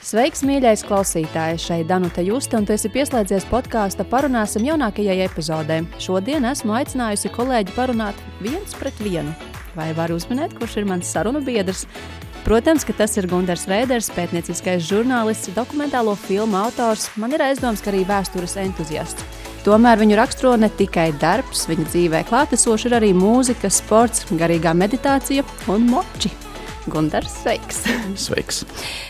Sveiks, mīļais klausītājs! Šeit Danuta Juste, un tu esi pieslēdzies podkāsta Parunāsim jaunākajai epizodē. Šodien esmu aicinājusi kolēģi parunāt 1-1. Vai var uzminēt, kurš ir mans sarunu biedrs? Protams, ka tas ir Gundars Reiders, pētnieciskais žurnālists, dokumentālo filmu autors, man ir aizdoms, ka arī vēstures entuziasts. Tomēr viņu raksturo ne tikai darbs, viņa dzīvē klātesoši ir arī mūzika, sports, garīgā meditācija un moči. Gundars, sveiks! Sveiks!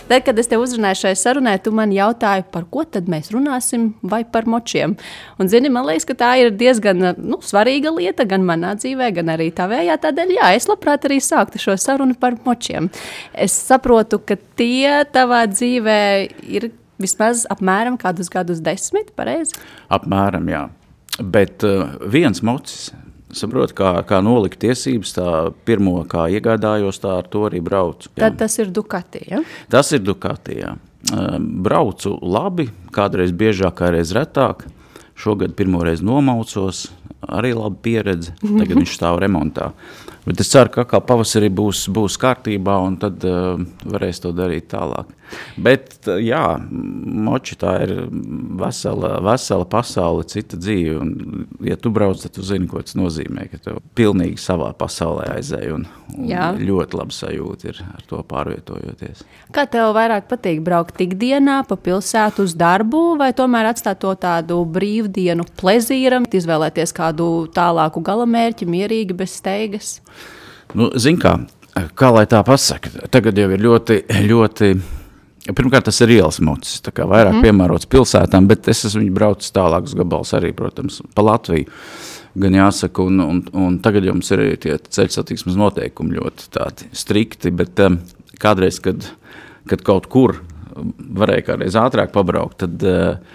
Tad, kad es tev uzrunāju šai sarunai, tu man jautāji, par ko tad mēs runāsim vai par močiem. Un, zini, man liekas, ka tā ir diezgan svarīga lieta gan manā dzīvē, gan arī tavējā. Tādēļ, jā, es labprāt arī sāktu šo sarunu par močiem. Es saprotu, ka tie tavā dzīvē ir vismaz apmēram kādus gadus 10, pareizi? Apmēram, jā. Bet viens mocis, saprot, kā nolikt tiesības, tā pirmo, kā iegādājos, tā ar to arī braucu. Jā. Tad tas ir Ducati, ja? Tas ir Ducati, jā. Braucu labi, kādreiz biežāk, kādreiz retāk. Šogad pirmoreiz nomaucos, arī laba pieredze. Tagad viņš stāv remontā. Bet es ceru, ka kā pavasarī būs kārtībā, un tad varēs to darīt tālāk. Bet, jā, moči tā ir vesela pasaule, cita dzīve. Un, ja tu brauc, tad tu zini, ko tas nozīmē, ka tev pilnīgi savā pasaulē aizēj un ļoti labi sajūta ir ar to pārvietojoties. Kā tev vairāk patīk braukt ikdienā pa pilsētu uz darbu, vai tomēr atstāt to tādu brīvdienu plezīram, izvēlēties kādu tālāku galamērķi, mierīgi, bez steigas? Nu, zin kā lai tā pasaka, tagad jau ir ļoti, pirmkārt tas ir ielas mocis, tā kā vairāk piemērots pilsētām, bet es esmu viņu braucis tālākus gabals arī, protams, pa Latviju, gan jāsaka, un tagad jums ir tie ceļu satiksmes noteikumi ļoti tādi strikti, bet kādreiz, kad kaut kur varēja kādreiz ātrāk pabraukt, tad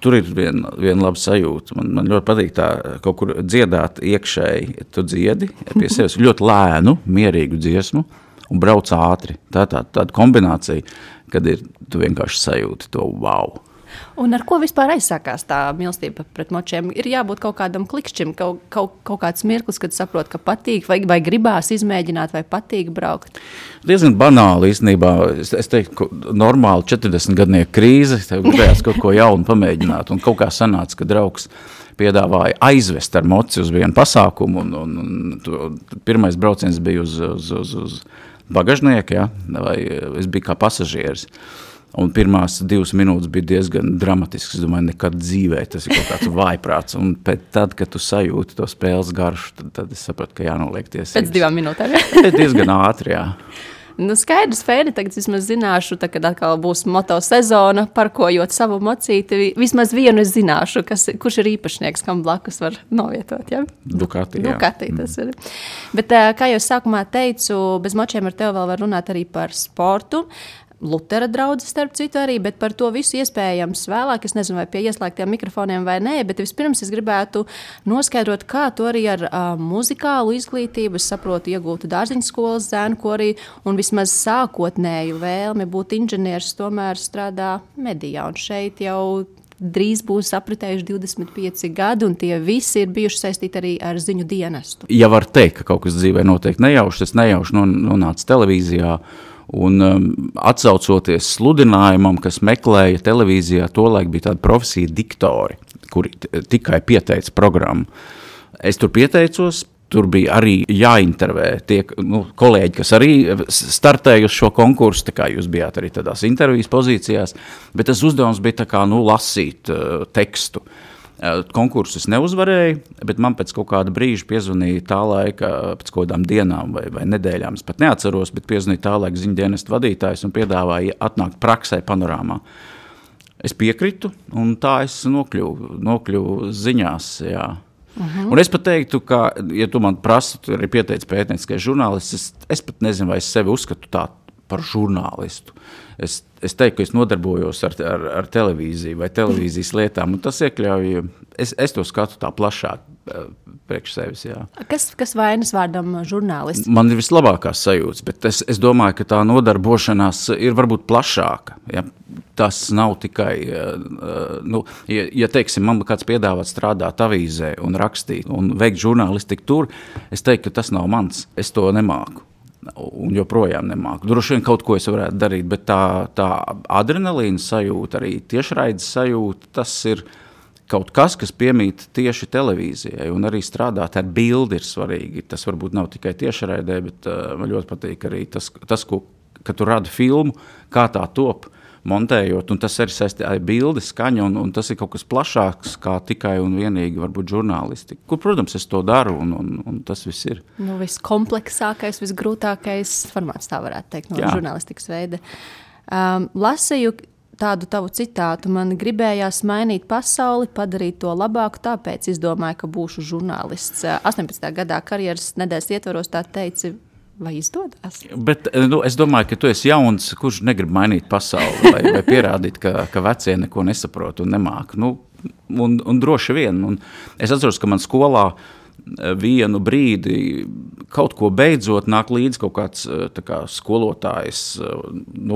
tur ir viena laba sajūta. Man ļoti patīk tā kaut kur dziedāt iekšēji. Tu dziedi pie sevis ļoti lēnu, mierīgu dziesmu un brauc ātri. Tāda kombinācija, kad tu vienkārši sajūti to wow. Un ar ko vispār aizsākās tā mīlestība pret močiem? Ir jābūt kaut kādam klikšķim, kaut kāds mirklis, kad saprot, ka patīk, vai gribās izmēģināt, vai patīk braukt? Diezgan banāli īstenībā. Es teiktu, normāli 40-gadnieku krīze, tev gribējās kaut ko jaunu pamēģināt, un kaut kā sanāca, ka draugs piedāvāja aizvest ar moci uz vienu pasākumu, un pirmais brauciens bija uz bagažnieku, ja? Vai es biju kā pasažieris. Un pirmās 2 minūtes bija diezgan dramatisks. Es domāju, nekad dzīvē tas ir kaut kāds vājprāts. Un tad, kad tu sajūti to spēles garšu, tad es sapratu, ka jānoliek tiesības. Pēc 2 minūtēm, ja? Tas diezgan ātri, jā. Nu, skaidrs, Fēni, tagad vismaz zināšu, kad atkal būs moto sezona, parkojot savu mocīti, vismaz vienu es zināšu, kurš ir īpašnieks, kam blakus var novietot, ja? Ducati, jā. Ducati tas ir. Bet, kā jau sākumā teicu, bez močiem ar tevi vēl var runāt arī par sportu. Lutera draudzes starp citu arī, bet par to visu iespējams vēlāk. Es nezinu, vai pie ieslēgtiem mikrofoniem vai nē, bet vispirms es gribētu noskaidrot, kā tu arī ar muzikālu izglītību, es saprotu, iegūtu dārziņu skolas zēnu korī un vismaz sākotnēju vēlmi būt inženieris tomēr strādā medijā. Un šeit jau drīz būs apritējuši 25 gadi, un tie visi ir bijuši saistīti arī ar ziņu dienestu. Ja var teikt, ka kaut kas dzīvē noteikti nejauši, tas nejauši nonāca televīzijā, un atsaucoties sludinājumam, kas meklēja televīzijā, tolaik bija tāda profesija diktori, kuri tikai pieteica programmu. Es tur pieteicos, tur bija arī jāintervē tie kolēģi, kas arī startēja uz šo konkursu, tā kā jūs bijāt arī tādās intervijas pozīcijās, bet tas uzdevums bija tā kā, lasīt tekstu. Konkursus neuzvarēju, bet man pēc kaut kāda brīža piezvanīja tā laika, pēc kaut kādām dienām vai nedēļām, es pat neatceros, bet piezvanīja tā laika ziņu dienestu vadītājs un piedāvāja atnākt praksē Panorāmā. Es piekritu, un tā es nokļuvu ziņās, jā. Un es pat teiktu, ka, ja tu man prasi, tu arī pieteici pētnieciskais žurnālists, es pat nezinu, vai es sevi uzskatu tā par žurnālistu. Es teiktu, ka es nodarbojos ar televīziju vai televīzijas lietām, un tas iekļauj, es to skatu tā plašāk priekš sevis, jā. Kas vainas vārdam žurnālists? Man ir vislabākās sajūtas, bet es domāju, ka tā nodarbošanās ir varbūt plašāka, ja. Tas nav tikai, ja teiksim, man kāds piedāvāt strādāt avīzē un rakstīt un veikt žurnālistiku tur, es teiktu, ka tas nav mans, es to nemāku. un joprojām nemāku. Droši vien kaut ko es varētu darīt, bet tā adrenalīna sajūta, arī tiešraides sajūta, tas ir kaut kas, kas piemīt tieši televīzijai, un arī strādāt ar bildi ir svarīgi. Tas varbūt nav tikai tiešraidē, bet man ļoti patīk arī tas ka tu radi filmu, kā tā top, montējot, un tas arī saistībā ar bildi, skaņu, un tas ir kaut kas plašāks, kā tikai un vienīgi varbūt žurnālistika. Kur, protams, es to daru, un tas viss ir. Nu, viskompleksākais, visgrūtākais formāts, tā varētu teikt, no žurnālistikas veida. Lasīju tādu tavu citātu, man gribējās mainīt pasauli, padarīt to labāku, tāpēc izdomāju, ka būšu žurnālists. 18. gadā karjeras nedēļas ietvaros tā teici, vai izdodas? Bet es domāju, ka tu esi jauns, kurš negrib mainīt pasauli vai pierādīt, ka vecie neko nesaprot un nemāk. Un droši vien. Un es atceros, ka man skolā vienu brīdi kaut ko beidzot nāk līdz kaut kāds skolotājs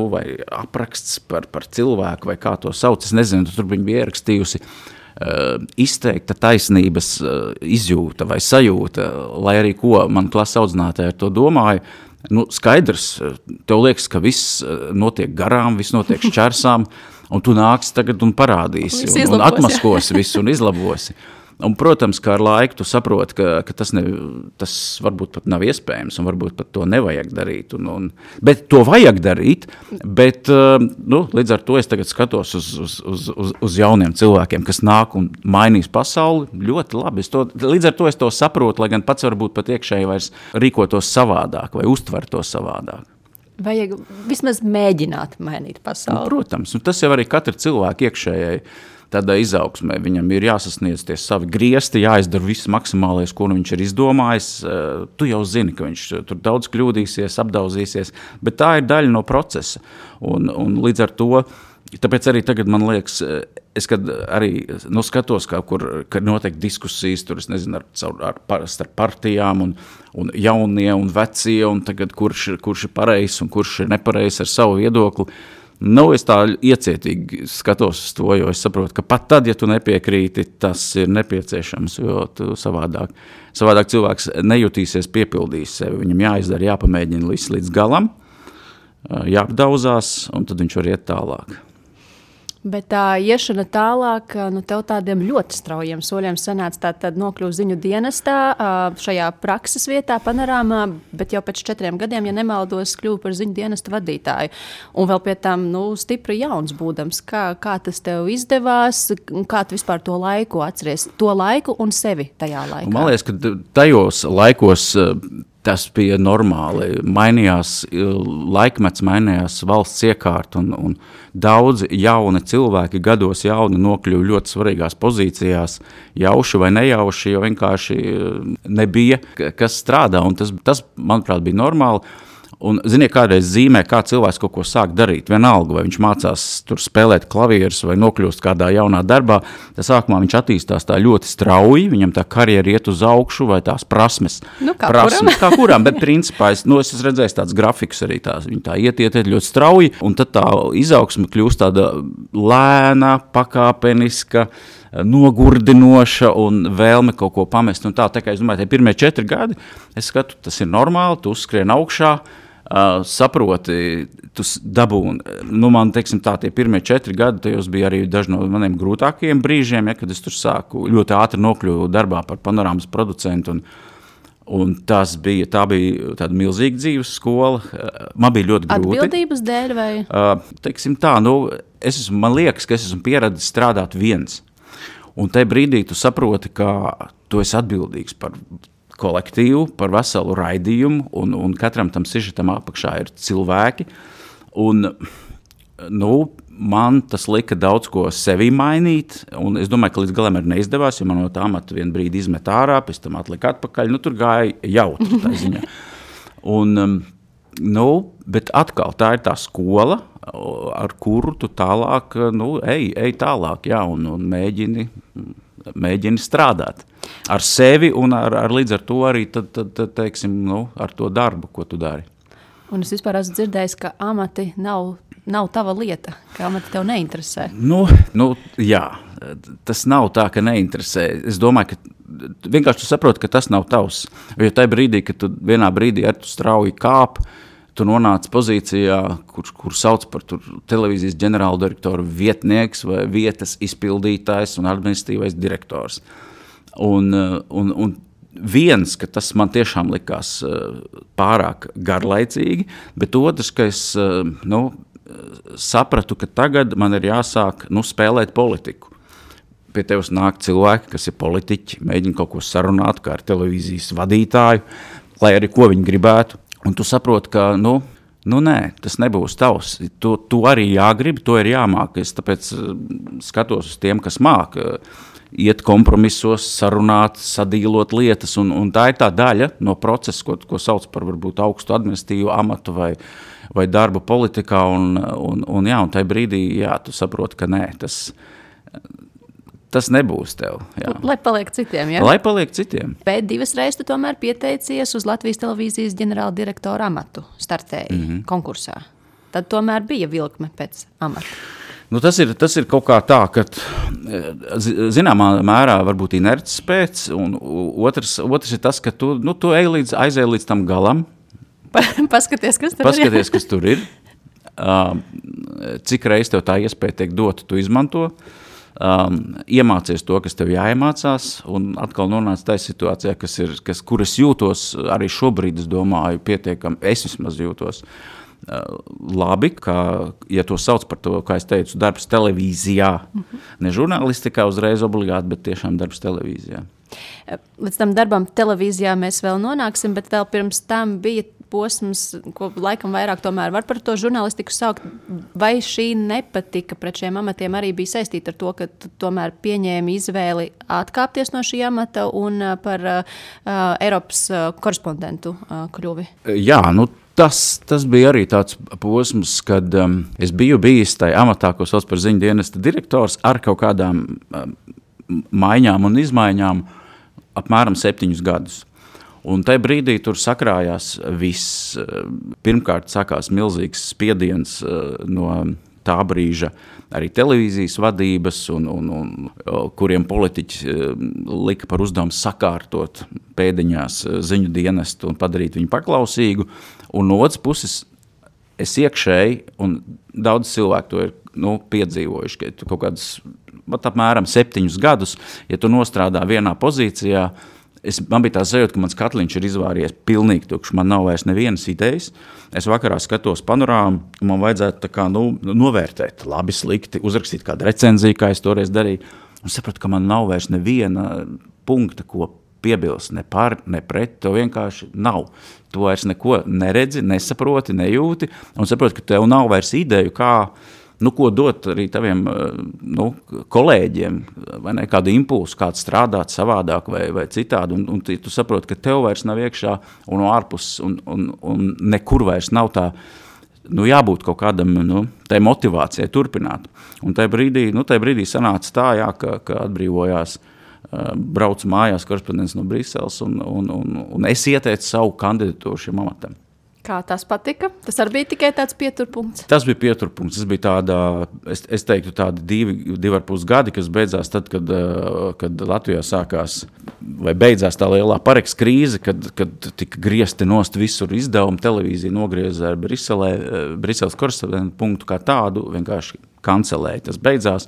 vai apraksts par cilvēku vai kā to sauc. Es nezinu, tur viņa bija ierakstījusi izteikta taisnības izjūta vai sajūta, lai arī ko man klases audzinātāji ar to domāja. Skaidrs, tev liekas, ka viss notiek garām, viss notiek šķērsām, un tu nāksi tagad un parādīsi, un atmaskosi visu un izlabosi. Un, protams, kā ar laiku tu saproti, ka tas varbūt pat nav iespējams, un varbūt pat to nevajag darīt. Bet to vajag darīt, bet līdz ar to es tagad skatos uz jauniem cilvēkiem, kas nāk un mainīs pasauli ļoti labi. Līdz ar to es to saprotu, lai gan pats varbūt pat iekšēji vairs rīkotos savādāk vai uztvertos savādāk. Vajag vismaz mēģināt mainīt pasauli. Protams, un tas jau arī katra cilvēka iekšējai tādā izaugsmē. Viņam ir jāsasniedz tie savi griesti, jāizdara viss maksimālais, ko viņš ir izdomājis. Tu jau zini, ka viņš tur daudz kļūdīsies, apdauzīsies, bet tā ir daļa no procesa. Un līdz ar to, tāpēc arī tagad man liekas, es kad arī skatos, kad notiek diskusijas, tur es nezinu, starp partijām un jaunie un vecie, un tagad kurš ir pareizs un kurš ir nepareizs ar savu viedokli. Es tā iecietīgi skatos uz to, jo es saprotu, ka pat tad, ja tu nepiekrīti, tas ir nepieciešams, jo tu savādāk cilvēks nejutīsies, piepildīs sevi. Viņam jāizdara, jāpamēģina viss līdz galam, jāapdauzās, un tad viņš var iet tālāk. Bet tā iešana tālāk, tev tādiem ļoti straujiem soļiem sanāca tad nokļuvu ziņu dienestā, šajā prakses vietā, panorāmā, bet jau pēc 4 gadiem, ja nemaldos, kļuvu par ziņu dienesta vadītāju. Un vēl pie tām, stipri jauns būdams. Kā tas tev izdevās, kā tu vispār to laiku atceries? To laiku un sevi tajā laikā? Man liekas, ka tajos laikos tas bija normāli. Mainījās laikmets, mainījās valsts iekārta un daudzi jauni cilvēki, gados jauni, nokļuva ļoti svarīgās pozīcijās, jauši vai nejauši, jo vienkārši nebija, kas strādā, un tas manuprāt, bija normāli. Un, ziniet, kādreiz zīmē, kā cilvēks kaut ko sāk darīt, vienalga, vai viņš mācās tur spēlēt klavierus vai nokļūst kādā jaunā darbā, tad sākumā viņš attīstās tā ļoti strauji, viņam tā karjera iet uz augšu vai tās prasmes. Kā kuram, bet principā es esmu redzējis tāds grafiks arī viņi tā iet ļoti strauji, un tad tā izaugsme kļūst tāda lēna, pakāpeniska, nogurdinoša un vēlme kaut ko pamest. Un tā kā es domāju, tie pirmie 4 gadi, es skatu, tas ir normāli, tu uzskrien augšā, saproti, tu dabūni. Man, teiksim tā, tie pirmie 4 gadi, tajos bija arī daži no maniem grūtākajiem brīžiem, kad es tur sāku ļoti ātri nokļuvu darbā par panorāmas producentu, un tā bija tāda milzīga dzīves skola. Man bija ļoti grūti. Atbildības dēļ vai? Teiksim tā, man liekas, ka es esmu pieradis strādāt viens. Un tajā brīdī tu saproti, ka tu esi atbildīgs par kolektīvu, par veselu raidījumu, un katram tam sižetam apakšā ir cilvēki. Un, man tas lika daudz ko sevī mainīt, un es domāju, ka līdz galam arī neizdevās, jo man no tā amata vienu brīdi izmet ārā, pēc tam atlika atpakaļ, tur gāja jautri tā ziņā. Un, bet atkal tā ir tā skola, ar kuru tu tālāk, ej tālāk, jā, un mēģini strādāt ar sevi un ar līdz ar to arī, teiksim, ar to darbu, ko tu dari. Un es vispār esmu dzirdējis, ka amati nav tava lieta, ka amati tev neinteresē. Jā, tas nav tā, ka neinteresē. Es domāju, ka vienkārši tu saproti, ka tas nav tavs. Jo tajā brīdī, kad tu vienā brīdī ar tu strauji kāp, tu nonāc pozīcijā, kur sauc par televīzijas ģenerāldirektoru vietnieks vai vietas izpildītājs un administratīvais direktors. Un viens, ka tas man tiešām likās pārāk garlaicīgi, bet otrs, ka es sapratu, ka tagad man ir jāsāk spēlēt politiku. Pie tevis nāk cilvēki, kas ir politiķi, mēģina kaut ko sarunāt kā ar televīzijas vadītāju, lai arī ko viņi gribētu. Un tu saproti, ka nē, tas nebūs tavs. Tu arī jāgrib, to ir jāmāk. Es tāpēc skatos uz tiem, kas māk iet kompromisos, sarunāt, sadīlot lietas, un tā ir tā daļa no procesa, ko sauc par varbūt augstu administratīvu amatu vai darbu politikā, un tajā brīdī, tu saproti, ka nē, tas nebūs tev. Jā. Lai paliek citiem, ja? Lai paliek citiem. Bet 2 reizes tu tomēr pieteicies uz Latvijas televīzijas ģenerāla direktora amatu, startēji konkursā. Tad tomēr bija vilkme pēc amata. Tas ir kaut kā tā, ka zināmā mērā varbūt inerces pēc, un otrs ir tas, ka tu aizēji līdz tam galam. Paskaties, kas tur ir. Cik reiz tev tā iespēja tiek dota, tu izmanto. Iemācies to, kas tev jāiemācās, un atkal nonāc tajā situācijā, kur es jūtos arī šobrīd, es domāju, pietiekami, es vismaz jūtos labi, ja to sauc par to, kā es teicu, darbs televīzijā, ne žurnālistikā uzreiz obligāti, bet tiešām darbs televīzijā. Līdz tam darbam televīzijā mēs vēl nonāksim, bet vēl pirms tam bija posms, ko laikam vairāk tomēr var par to žurnālistiku saukt. Vai šī nepatika pret šiem amatiem arī bija saistīta ar to, ka tu tomēr pieņēmi izvēli atkāpties no šī amata un par Eiropas korespondentu kļuvi? Jā, tas bija arī tāds posms, kad es biju bijis tajā amatā, ko sauc par ziņu dienesta direktors, ar kaut kādām maiņām un izmaiņām apmēram 7 gadus. Un tajā brīdī tur sakrājās viss. Pirmkārt sākās milzīgs spiediens no tā brīža arī televīzijas vadības, un kuriem politiķi lika par uzdevumu sakārtot pēdiņās ziņu dienestu un padarīt viņu paklausīgu. Un no otras puses es iekšēji, un daudz cilvēku to ir piedzīvojuši, ka tu kaut kādus apmēram 7 gadus, ja tu nostrādā vienā pozīcijā, man bija tā sajūta, ka mans katliņš ir izvāries pilnīgi tukšs, man nav vairs nevienas idejas. Es vakarā skatos panorāmu, un man vajadzētu tā kā novērtēt, labi, slikti, uzrakstīt kādu recenziju, kā es toreiz darīju, un sapratu, ka man nav vairs neviena punkta, ko piebilst, ne par, ne pret, tev vienkārši nav. Tu vairs neko neredzi, nesaproti, nejūti, un saproti, ka tev nav vairs ideju, kā ko dot arī taviem kolēģiem, vai ne, kādu impulsu, kāds strādāt savādāk vai citādi, un tu saproti, ka tev vairs nav iekšā un ārpus, un nekur vairs nav tā, jābūt kaut kādam, tai motivācijai turpināt. Un tajā brīdī sanāca tā, ka atbrīvojās, braucu mājās korespondents no Briseles, un es ieteicu savu kandidatūru šim amatam. Kā tas patika? Tas arī bija tikai tāds pieturpunkts? Tas bija pieturpunkts. Tas bija tāda, es teiktu, tādi 2,5 gadi, kas beidzās tad, kad Latvijā sākās, vai beidzās tā lielā Pareks krīze, kad tika griezti nost visur izdevumi, televīzija nogrieza ar Briseles korespondentu punktu kā tādu, vienkārši kancelēja. Tas beidzās,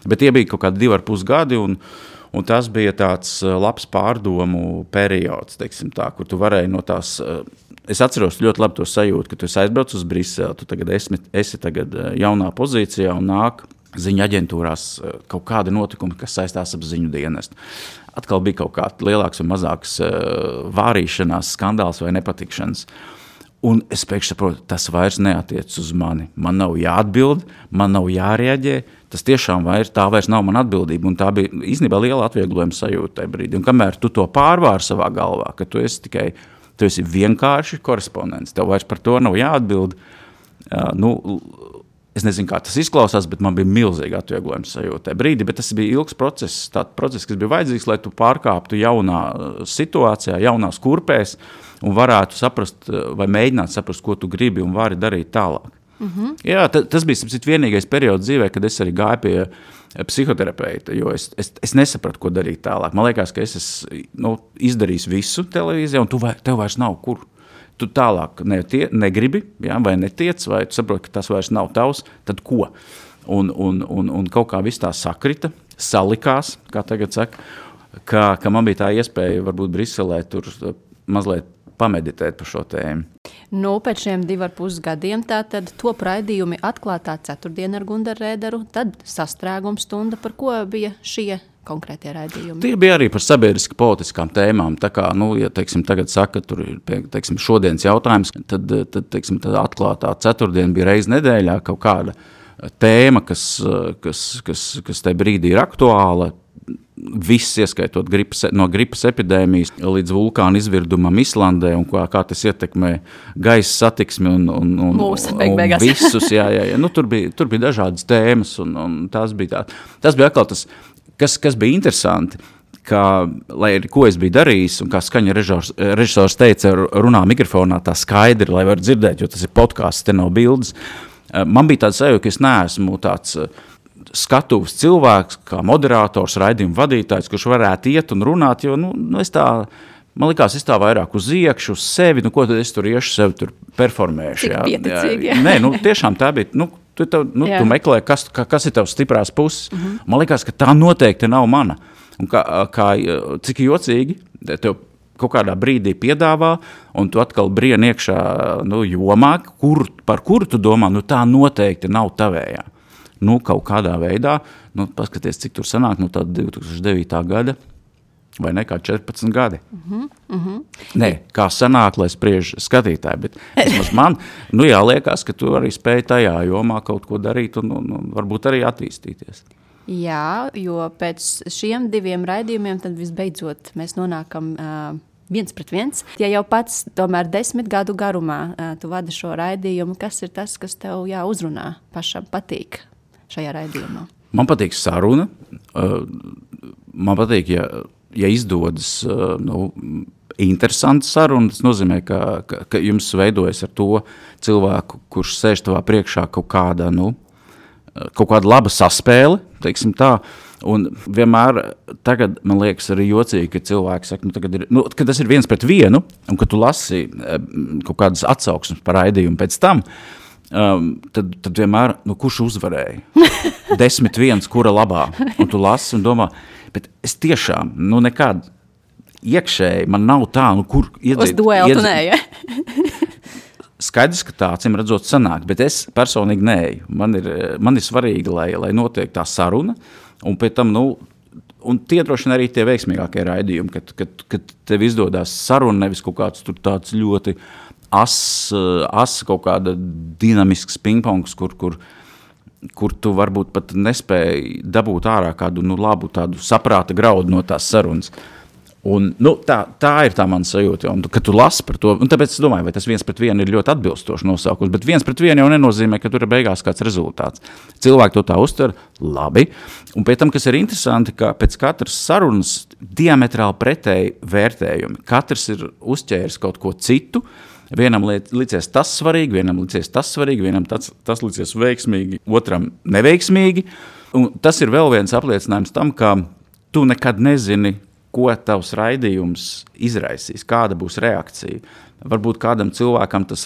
bet tie bija kaut kādi 2,5 gadi, un tas bija tāds labs pārdomu periods, teiksim tā, kur tu varēji no tās. Es atceros ļoti labi to sajūtu, ka tu aizbrauc uz Briseli, tu tagad esi tagad jaunā pozīcijā un nāk ziņu aģentūrās kaut kādi notikumi, kas saistās ap ziņu dienestu. Atkal bija kaut kāds lielāks vai mazāks vārīšanās, skandāls vai nepatikšanas. Un es pēkšņi saprotu, tas vairs neatiec uz mani. Man nav jāatbild, man nav jārēģē. Tas tiešām tā vairs nav mana atbildība. Un tā bija īstenībā liela atvieglojuma sajūta tajā brīdī. Un kamēr tu to pārvāri savā galvā, ka tu esi vienkārši korespondents, tev vairs par to nav jāatbild. Es nezinu, kā tas izklausās, bet man bija milzīga atvieglojuma sajūta tajā brīdī. Bet tas bija ilgs process, tāds process, kas bija vajadzīgs, lai tu pārkāptu jaunā situācijā, jaunās kurpēs un varētu saprast vai mēģināt saprast, ko tu gribi un vari darīt tālāk. Jā, tas bija vienīgais periods dzīvē, kad es arī gāju pie psihoterapeita, jo es nesapratu, ko darīt tālāk. Man liekas, ka es esmu izdarījis visu televīzijā, un tev vairs nav kur. Tu tālāk negribi, vai netiec, vai tu saproti, ka tas vairs nav tavs, tad ko? Un kaut kā viss tā sakrita, salikās, kā tagad saka, ka man bija tā iespēja varbūt Briselē tur mazliet pameditēt par šo tēmu. Pēc šiem 2,5 gadiem tātad top raidījumi Atklātā ceturtdiena ar Gundaru Rēderu, tad Sastrēguma stunda, par ko bija šie konkrētie raidījumi? Tie bija arī par sabiedriski politiskām tēmām, tā kā, ja, teiksim, tagad saka, tur ir, teiksim, šodienas jautājums, tad teiksim, tad Atklātā ceturtdiena bija reiz nedēļā kaut kāda tēma, kas tajā brīdī ir aktuāla, viss ieskaitot no gripas epidēmijas līdz vulkāna izvirdumam Islandē un kā tas ietekmē gaisa satiksmi un visus. Jā. Tur bija dažādas tēmas un tas bija atkal tas, kas bija interesanti, lai ko es biju darījis un kā skaņa režisors teica, runā mikrofonā tā skaidri, lai var dzirdēt, jo tas ir podcasts, te nav bildes. Man bija tāds sajūta, ka es neesmu tāds skatuves cilvēks, kā moderators, raidījuma vadītājs, kurš varētu iet un runāt, jo man likās, es tā vairāk uz iekšu, uz sevi, ko tad es tur iešu, sevi tur performēšu. Cik pieticīgi. Nē, tiešām tā bija, tu meklē, kas ir tavs stiprās puses. Man likās, ka tā noteikti nav mana. Un cik jocīgi, tev kaut kādā brīdī piedāvā, un tu atkal brien iekšā jomā, par kuru tu domā, tā noteikti nav tavējā. Kaut kādā veidā, paskaties, cik tur sanāk, tāda 2009. gada, vai ne, kā 14 gadi. Nē, kā sanāk, lai spriež skatītāji, bet vismaz man, liekas, ka tu arī spēj tajā jomā kaut ko darīt un varbūt arī attīstīties. Jā, jo pēc šiem 2 raidījumiem tad visbeidzot mēs nonākam 1-1. Ja jau pats tomēr 10 gadu garumā tu vadi šo raidījumu, kas ir tas, kas tev uzrunā pašam patīk šajā raidījumā? Man patīk saruna. Man patīk, ja izdodas interesanta saruna. Tas nozīmē, ka jums veidojas ar to cilvēku, kurš sēž tavā priekšā kaut kāda laba saspēle, teiksim tā. Un vienmēr tagad, man liekas, arī jocīgi, ka cilvēki saka, ka tas ir 1-1, un ka tu lasi kaut kādas atsauksmes par raidījumu pēc tam, tad vienmēr, kurš uzvarēja? 10-1, kura labā? Un tu lasi un domā, bet es tiešām, nekad iekšēji man nav tā, kur iedzīt. Uz duelu tu neeji. Skaidrs, ka tā, acīm redzot, sanāk, bet es personīgi neeju. Man ir svarīgi, lai notiek tā saruna, un pēc tam, un tie droši vien arī tie veiksmīgākie raidījumi, kad tev izdodās saruna, nevis kaut kāds tur tāds ļoti asa kaut kāda dinamisks pingpongs, kur tu varbūt pat nespēji dabūt ārā kādu labu tādu saprāta graudu no tās sarunas. Un, tā ir tā mana sajūta, un kad tu lasi par to, un tāpēc es domāju, vai tas 1-1 ir ļoti atbilstošs nosaukums, bet 1-1 jau nenozīmē, ka tur ir beigās kāds rezultāts. Cilvēki to tā uztver labi, un pēc tam, kas ir interesanti, ka pēc katras sarunas diametrāli pretēji vērtējumi. Katrs ir uzķēris kaut ko citu, vienam licies tas svarīgi, vienam licies tas svarīgi, vienam tas licies veiksmīgi, otram neveiksmīgi, un tas ir vēl viens apliecinājums tam, ka tu nekad nezini, ko tavs raidījums izraisīs, kāda būs reakcija. Varbūt kādam cilvēkam tas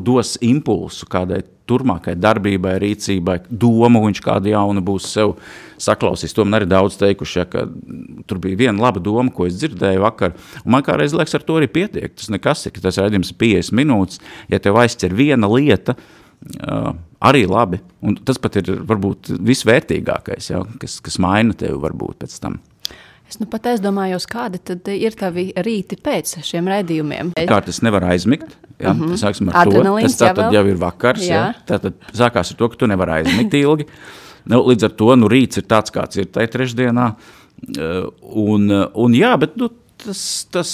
dos impulsu kādai turmākai darbībai, rīcībai, domu, viņš kādu jaunu būs sev saklausījis. To man arī daudz teikuši, ka tur bija viena laba doma, ko es dzirdēju vakar, un man kādreiz liekas, ar to arī pietiek. Tas nekas ir, ka tas raidījums ir 50 minūtes, ja tev aizķer viena lieta, arī labi, un tas pat ir varbūt visvērtīgākais, kas maina tevi varbūt pēc tam. Es pat aizdomājos, kādi tad ir tavi rīti pēc šiem raidījumiem. Kārt es nevaru aizmigt, sāksim ar Adrenalīns, to. Tas tātad jau ir vakars, tātad sākās ar to, ka tu nevari aizmigt ilgi. Līdz ar to, rīts ir tāds, kāds ir tai trešdienā. Un jā, bet, tas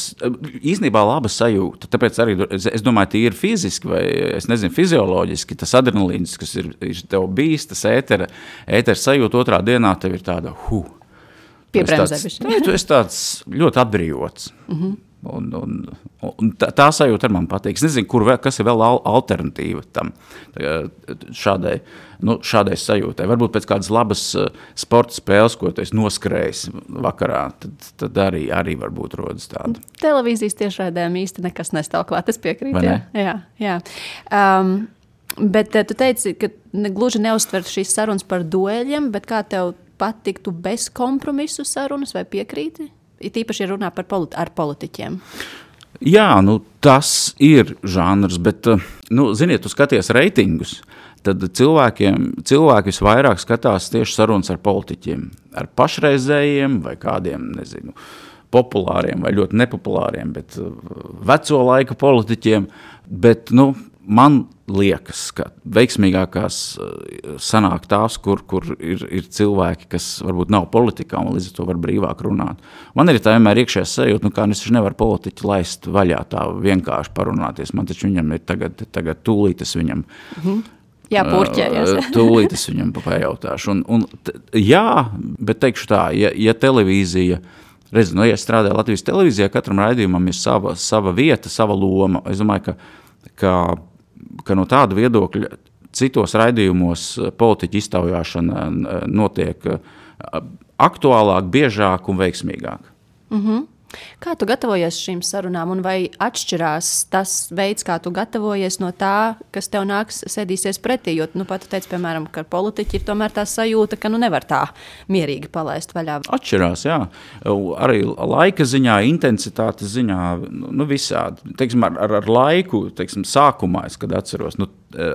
īstenībā laba sajūta. Tāpēc arī, es domāju, tīri fiziski vai, es nezinu, fizioloģiski, tas adrenalīns, kas ir tev bijis, tas ētera sajūta otrā dienā, tev ir tāda, Tu esi tāds ļoti atbrīvots. Un tā sajūta ar man patīk. Es nezinu, kas ir vēl alternatīva tam šādai sajūtai. Varbūt pēc kādas labas sporta spēles, ko tu esi noskrējis vakarā, tad arī varbūt rodas tāda. Televīzijas tiešraidēm īsti nekas nestāv klāt, es piekrītu. Jā. Bet tu teici, ka gluži neuztver šīs sarunas par dueļiem, bet kā tev patiktu bez kompromisu sarunas vai piekrīti? It īpaši runā ar politiķiem. Jā, tas ir žanrs, bet, ziniet, tu skaties reitingus, tad cilvēki visvairāk skatās tieši sarunas ar politiķiem, ar pašreizējiem vai kādiem, nezinu, populāriem vai ļoti nepopulāriem, bet veco laika politiķiem, bet, man liekas, ka veiksmīgākās sanāk tās, kur ir cilvēki, kas varbūt nav politikā un līdz ar to var brīvāk runāt. Man ir tā vienmēr iekšējā sajūta, kā es taču nevaru politiķi laist vaļā tā vienkārši parunāties. Man taču viņam ir tagad tūlīt es viņam... Jā, purķējies. Tūlīt es viņam pajautāšu. Jā, bet teikšu tā, ja televīzija... Redzi, ja es strādāju Latvijas televīzijā, katram raidījumam ir sava vieta, sava loma. Es domāju, ka no tāda viedokļa citos raidījumos politiķa iztaujāšana notiek aktuālāk, biežāk un veiksmīgāk. Kā tu gatavojies šīm sarunām un vai atšķirās tas veids, kā tu gatavojies no tā, kas tev nāks sēdīsies pretī? Jo, pat tu teici, piemēram, ka politiķi ir tomēr tā sajūta, ka nevar tā mierīgi palaist vaļā. Atšķirās, jā. Arī laika ziņā, intensitātes ziņā, visādi. Teiksim, ar laiku, sākumā, kad atceros,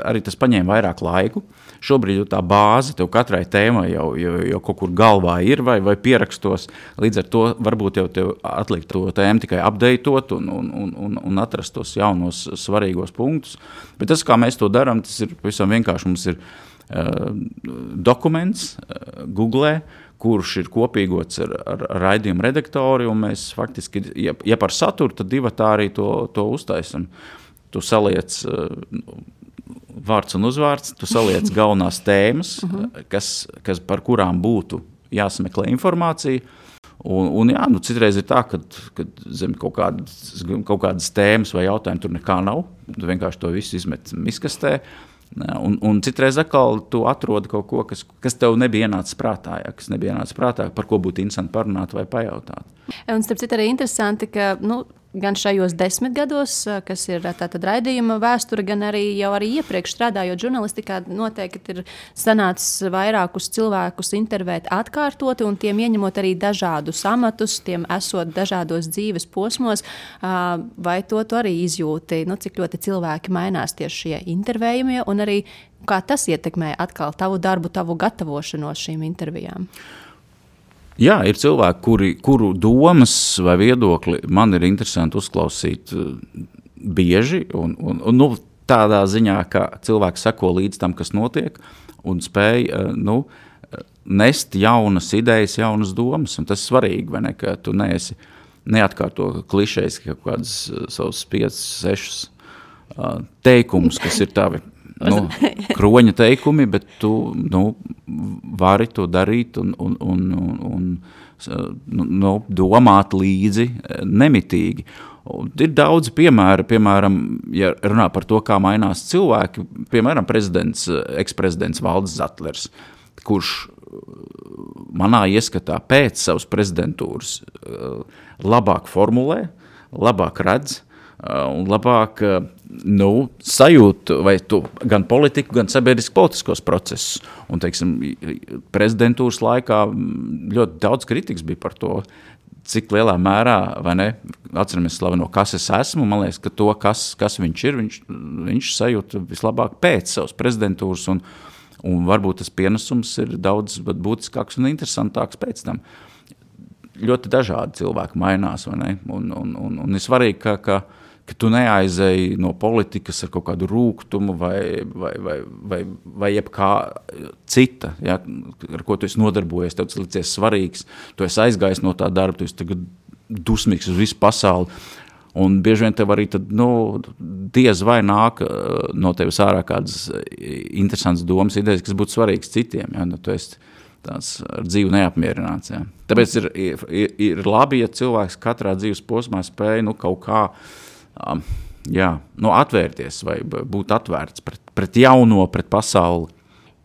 arī tas paņēma vairāk laiku. Šobrīd tā bāze tev katrai tēmai jau kaut kur galvā ir vai pierakstos. Līdz ar to varbūt jau tev atlikt to tēmu tikai updateot un atrast tos jaunos svarīgos punktus. Bet tas, kā mēs to darām, tas ir pavisam vienkārši. Mums ir dokuments Google, kurš ir kopīgots ar raidījumu redaktori, un mēs faktiski, ja par saturu, tad divatā arī to uztaisam. Tu saliec vārds un uzvārds, tu saliec galvenās tēmas, kas par kurām būtu jāsameklē informācija. Un jā, citreiz ir tā, ka zem kaut kādas tēmas vai jautājumi tur nekā nav. Tu vienkārši to visu izmet miskastē. Un citreiz atkal tu atrodi kaut ko, kas tev nebija ienācis prātā, par ko būtu interesanti parunāt vai pajautāt. Un starp citu arī interesanti, ka gan šajos 10 gados, kas ir tātad raidījuma vēsture, gan arī jau iepriekš strādājot žurnalistikā, noteikti ir sanācis vairākus cilvēkus intervēt atkārtoti un tiem ieņemot arī dažādus amatus, tiem esot dažādos dzīves posmos. Vai to tu arī izjūti, cik ļoti cilvēki mainās tieši šie intervējumie un arī kā tas ietekmē atkal tavu darbu, tavu gatavošanos šīm intervijām? Jā, ir cilvēki, kuru domas vai viedokli man ir interesanti uzklausīt bieži un tādā ziņā, ka cilvēki seko līdz tam, kas notiek un spēj nest jaunas idejas, jaunas domas. Un tas ir svarīgi, vai ne, ka tu neatkārto klišejas kaut kādas savus 5-6 teikumus, kas ir tavi kroņa teikumi, bet tu vari to darīt un domāt līdzi nemitīgi. Ir daudz piemēri, piemēram, ja runā par to, kā mainās cilvēki, piemēram, eksprezidents Valdis Zatlers, kurš manā ieskatā pēc savas prezidentūras labāk formulē, labāk redz un labāk sajūtu vai tu gan politiku, gan sabiedrisko-politiskos procesus. Un, prezidentūras laikā ļoti daudz kritikas bija par to, cik lielā mērā, vai ne, atceramies slaveno, kas es esmu, man liekas, ka to, kas viņš ir, viņš sajūta vislabāk pēc savas prezidentūras, un varbūt tas pienesums ir daudz būtiskāks un interesantāks pēc tam. Ļoti dažādi cilvēki mainās, vai ne, un ir svarīgi, ka tu neaizēji no politikas ar kaut kādu rūgtumu vai jebkā cita, ja, ar ko tu esi nodarbojies, tev tas licies svarīgs, tu esi aizgājis no tā darba, tu esi tagad dusmīgs uz visu pasauli, un bieži vien tev arī tad, diez vai nāk no tevis ārā kādas interesantas domas, idejas, kas būtu svarīgas citiem, ja, tu esi tāds ar dzīvi neapmierināts. Jā. Tāpēc ir labi, ja cilvēks katrā dzīves posmā spēj kaut kā atvērties vai būt atvērts pret jauno, pret pasauli.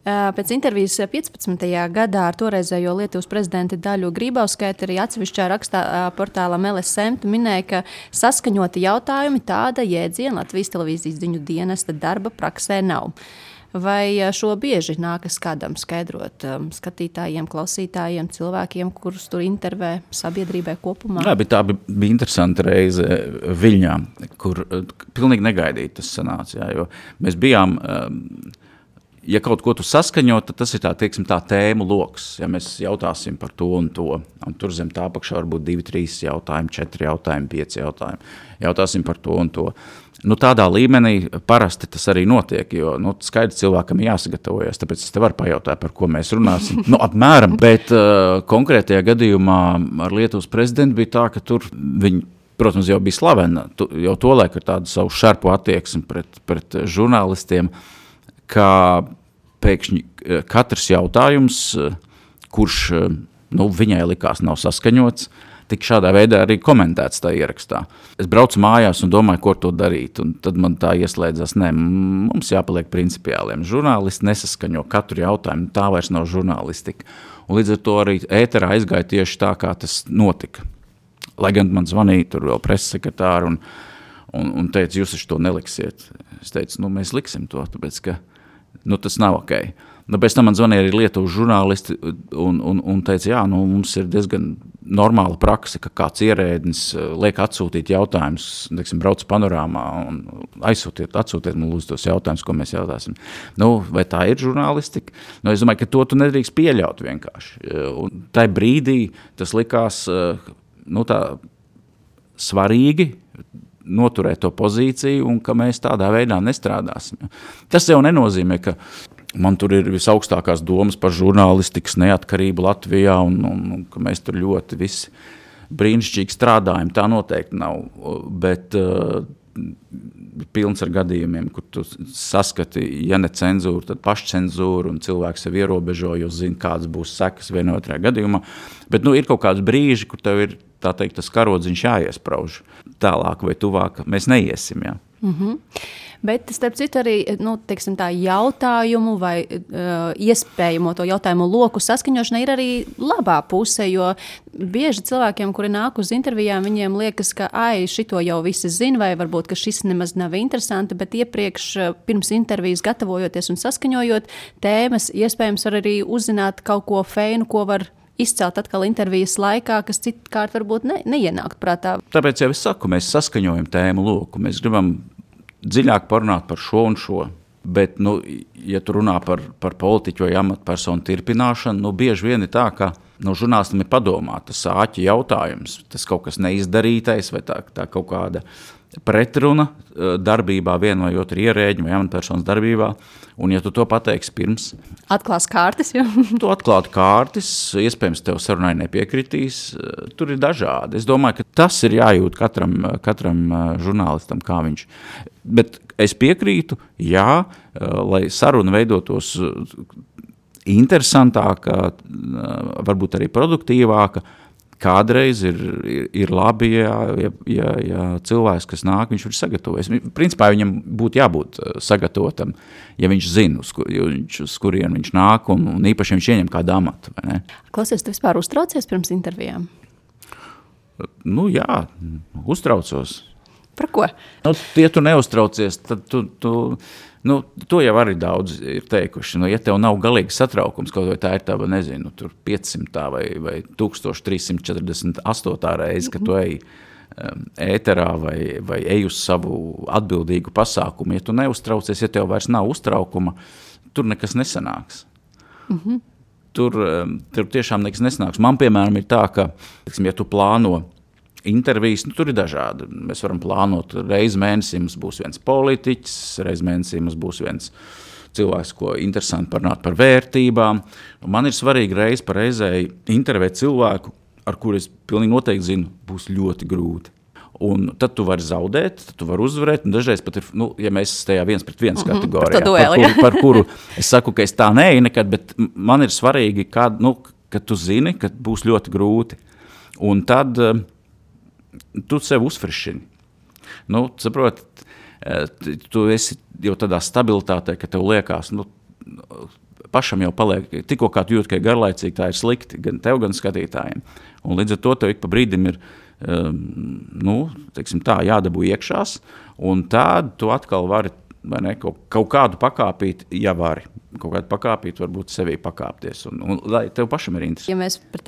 Pēc intervijas 15. gadā ar toreizējo Lietuvas prezidenti Daļu Grybauskaiti arī atsevišķā rakstā portālam LSM minēja, ka saskaņoti jautājumi tāda jēdziena Latvijas televīzijas ziņu dienesta darba praksē nav. Vai šo bieži nākas kādam skaidrot skatītājiem, klausītājiem, cilvēkiem, kurus tur intervē sabiedrībai kopumā? Jā, bet tā bija interesanta reize Viļņā, kur pilnīgi negaidīti tas sanāca, jo mēs bijām... Ja kaut ko tu saskaņo, tad tas ir tā tēmu loks. Ja mēs jautāsim par to un to, un tur zem tā apakšā var būt 2, 3 jautājumi, 4 jautājumi, 5 jautājumi. Jautāsim par to un to. Tādā līmenī parasti tas arī notiek, jo skaidrs cilvēkam jāsagatavojas, tāpēc es te varu pajautāt, par ko mēs runāsim. Apmēram, bet konkrētajā gadījumā ar Lietuvas prezidentu bija tā, ka tur viņi, protams, jau bija slavena, jau tolaik ar tādu savu šarpu attieksmi pret žurnālistiem, ka pēkšņi katrs jautājums, kurš viņai likās nav saskaņots, tik šādā veidā arī komentēts tā ierakstā. Es braucu mājās un domāju, ko to darīt, un tad man tā ieslēdzās, mums jāpaliek principiāliem. Žurnālisti nesaskaņo katru jautājumu, tā vairs nav žurnālistika. Un līdz ar to arī ēterā aizgāja tieši tā, kā tas notika. Lai gan man zvanīja tur vēl preses-sekretāri un teica, jūs taču to neliksiet. Es teicu, mēs liksim to, tāpēc, ka tas nav ok. Pēc tam man zvanīja arī Lietuvas žurnālisti un teica, mums ir diezgan normāla prakse, ka kāds ierēdnis liek atsūtīt jautājumus, brauc panorāmā un atsūtiet man lūdzu tos jautājumus, ko mēs jautāsim. Vai tā ir žurnālistika? Es domāju, ka to tu nedrīkst pieļaut vienkārši. Un tai brīdī tas likās tā svarīgi, noturēt to pozīciju un ka mēs tādā veidā nestrādāsim. Tas jau nenozīmē, ka man tur ir visaugstākās domas par žurnālistikas neatkarību Latvijā un ka mēs tur ļoti visi brīnišķīgi strādājam. Tā noteikti nav, bet pilns ar gadījumiem, kur tu saskati, ja ne cenzūru, tad pašcenzūru un cilvēks sev ierobežo, jo zina, kādas būs sekas vienā otrā gadījumā. Bet ir kaut kāds brīži, kur tev ir tas karodziņš jāiesprauž tālāk vai tuvāk, mēs neiesim, jā. Bet, starp citu, arī tā jautājumu vai iespējamo to jautājumu loku saskaņošana ir arī labā puse, jo bieži cilvēkiem, kuri nāk uz intervijām, viņiem liekas, ka šito jau visi zina, vai varbūt, ka šis nemaz nav interesanti, bet iepriekš pirms intervijas gatavojoties un saskaņojot tēmas, iespējams var arī uzzināt kaut ko feinu, ko var izcelt atkal intervijas laikā, kas citkārt varbūt neienākt prātā. Tāpēc jau es saku, mēs saskaņojam tēmu loku, mēs gribam dziļāk parunāt par šo un šo, bet, ja tu runā par politiķu vai amatpersonu tirpināšanu, bieži vien ir tā, ka žurnālistam ir padomāt, tas āķi jautājums, tas kaut kas neizdarītais vai tā kaut kāda pretruna darbībā viena vai otra ierēģi vai amatpersonas darbībā, un ja tu to pateiksi pirms... Atklās kārtas, jo? Tu atklāt kārtas, iespējams tev sarunai nepiekritīs, tur ir dažādi. Es domāju, ka tas ir jājūt katram žurnālistam, kā viņš. Bet es piekrītu, lai saruna veidotos interesantāka, varbūt arī produktīvāka, kādreiz ir labi, ja cilvēks, kas nāk, viņš ir sagatavojies. Principā viņam būtu jābūt sagatavotam, ja viņš zina, uz kurien viņš nāk, un īpaši viņš ieņem kādu amatu. Vai ne? Klausies, tu vispār uztraucies pirms intervijām? Jā, uztraucos. Par ko? Ja tu neuztraucies, tad to jau arī daudz ir teikuši. Ja tev nav galīgi satraukums, kaut vai tā ir tava, nezinu, tur 500 vai 1348 reize, ka tu ej ēterā vai ej uz savu atbildīgu pasākumu. Ja tu neuztraucies, ja tev vairs nav uztraukuma, tur nekas nesanāks. Tur tiešām nekas nesanāks. Man, piemēram, ir tā, ka, ja tu plāno intervijas, tur ir dažādi. Mēs varam plānot reizi mēnesī, mums būs viens politiķis, reizi mēnesī mums būs viens cilvēks, ko interesanti parunāt par vērtībām. Man ir svarīgi reizi par reizei intervēt cilvēku, ar kuru es pilnīgi noteikti zinu, būs ļoti grūti. Un tad tu vari zaudēt, tad tu vari uzvarēt, un dažreiz pat ir, ja mēs tajā 1-1 kategorijā, dueli, par kuru es saku, ka es tā neeju nekad, bet man ir svarīgi, kad tu zini, ka būs ļoti grūti. Un tad tu sev uzfrišini. Saproti, tu esi jau tādā stabilitātē, ka tev liekas, pašam jau paliek, tikko kā tu jūt, ka ir garlaicīgi, tā ir slikti, gan tev, gan skatītājiem. Un līdz ar to tev ik pa brīdim ir, teiksim tā, jādabū iekšās, un tādu tu atkal vari, vai ne, kaut kādu pakāpīt, ja vari, kaut kādu pakāpīt, varbūt sevī pakāpties, un lai tev pašam ir interesanti. Ja mēs par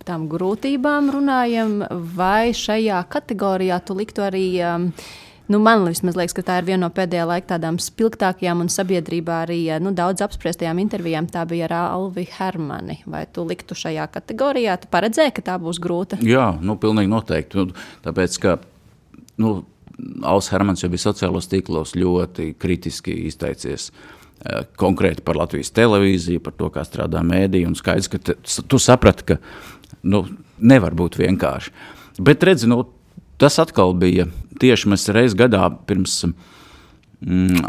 tām grūtībām runājam, vai šajā kategorijā tu liktu arī, man vismaz liekas, ka tā ir viena no pēdējā laika tādām spilgtākajām un sabiedrībā arī daudz apspriestajām intervijām, tā bija ar Alvi Hermani. Vai tu liktu šajā kategorijā? Tu paredzēji, ka tā būs grūta? Jā, pilnīgi noteikti. Tāpēc, ka Alvs Hermans jau bija sociālos tīklos ļoti kritiski izteicies konkrēti par Latvijas televīziju, par to, kā strādā mēdī, un skaidrs, ka tu saprati, ka nevar būt vienkārši. Bet redzi, tas atkal bija tieši mēs reiz gadā pirms